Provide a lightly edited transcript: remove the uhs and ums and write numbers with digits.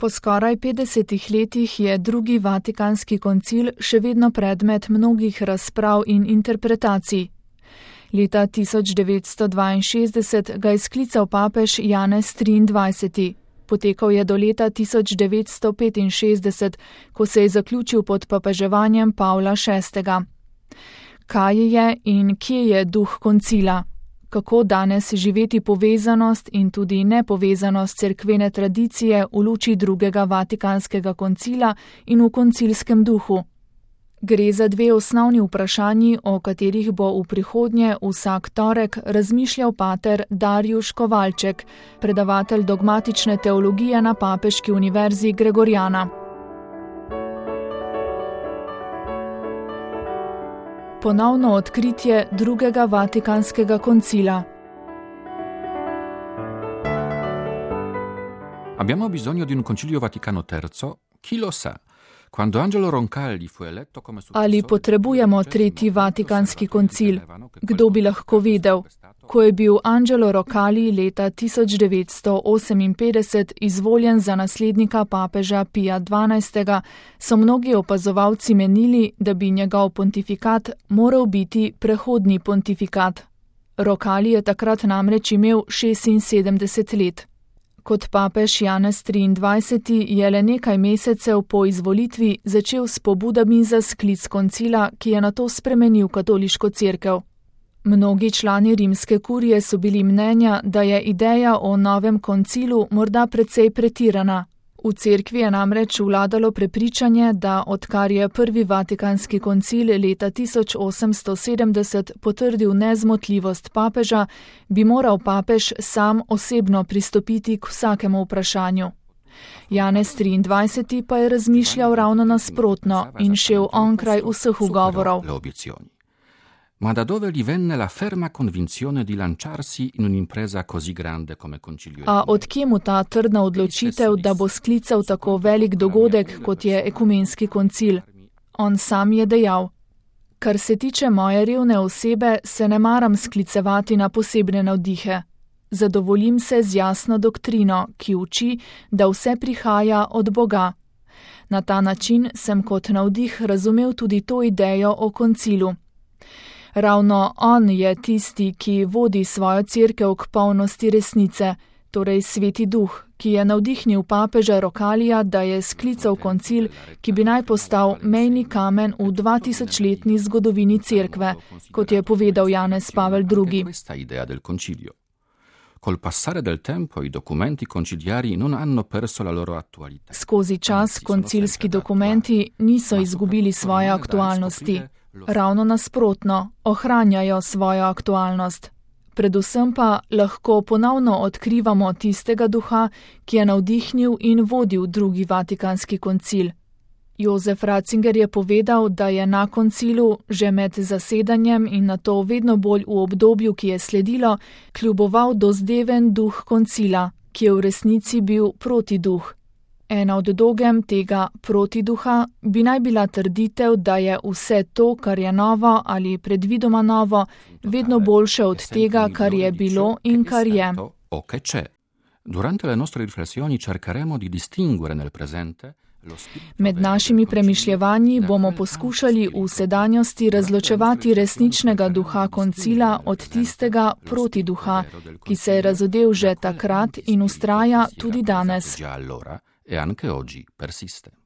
Po skoraj 50 letih je drugi Vatikanski koncil še vedno predmet mnogih razprav in interpretacij. Leta 1962 ga je sklical papež Janez XXIII. Potekal je do leta 1965, ko se je zaključil pod papeževanjem Pavla VI. Kaj je in kje je duh koncila? Kako danes živeti povezanost in tudi nepovezanost cerkvene tradicije v luči drugega Vatikanskega koncila in v koncilskem duhu? Gre za dve osnovni vprašanji, o katerih bo v prihodnje vsak torek razmišljal pater Darjuš Kovalček, predavatelj dogmatične teologije na Papeški univerzi Gregoriana. Ponovno odkritje drugega Vatikanskega koncila. Abbiamo bisogno di un concilio Vaticano III? Chi lo sa? Quando Angelo Roncalli fu eletto come Ali potrebujemo tretji Vatikanski koncil? Kdo bi lahko vedel? Ko je bil Angelo Roncalli leta 1958 izvoljen za naslednika papeža Pija XII., so mnogi opazovalci menili, da bi njegov pontifikat moral biti prehodni pontifikat. Roncalli je takrat namreč imel 76 let. Kot papež Janez XXIII. Je le nekaj mesecev po izvolitvi začel s pobudami za sklic koncila, ki je nato spremenil katoliško cerkev. Mnogi člani rimske kurije so bili mnenja, da je ideja o novem koncilu morda precej pretirana. V cerkvi je namreč vladalo prepričanje, da odkar je prvi Vatikanski koncil leta 1870 potrdil nezmotljivost papeža, bi moral papež sam osebno pristopiti k vsakemu vprašanju. Janez XXIII. Pa je razmišljal ravno nasprotno in šel onkraj vseh ugovorov. Ma da dove gli venne la ferma convinzione di lanciarsi in un'impresa così grande come concilio? A odkje mu ta trdna odločitev, da bo sklical tako velik dogodek, kot je ekumenski koncil? On sam je dejal: Kar se tiče moje revne osebe, se ne maram sklicevati na posebne navdihe. Zadovoljim se z jasno doktrino, ki uči, da vse prihaja od Boga. Na ta način sem kot navdih razumel tudi to idejo o koncilu. Ravno on je tisti, ki vodi svojo cerkev k polnosti resnice, torej Sveti Duh, ki je navdihnil papeža Roncallija, da je sklical koncil, ki bi naj postal mejni kamen v 2000-letni zgodovini cerkve, kot je povedal Janez Pavel II. Col passare del tempo i documenti conciliari non hanno perso la loro attualità. Skozi čas koncilski dokumenti niso izgubili svoje aktualnosti. Ravno nasprotno, ohranjajo svojo aktualnost. Predvsem pa lahko ponovno odkrivamo tistega duha, ki je navdihnil in vodil drugi Vatikanski koncil. Jozef Ratzinger je povedal, da je na koncilu, že med zasedanjem in nato vedno bolj v obdobju, ki je sledilo, kljuboval dozdeven duh koncila, ki je v resnici bil protiduh. Ena od dogem tega protiduha bi naj bila trditev, da je vse to, kar je novo ali predvidoma novo, vedno boljše od tega, kar je bilo in kar je. Durante le nostre riflessioni cercheremo di distinguere nel presente. Med našimi premišljevanji bomo poskušali v sedanjosti razločevati resničnega duha koncila od tistega protiduha, ki se je razodel že takrat in vztraja tudi danes. E anche oggi persiste.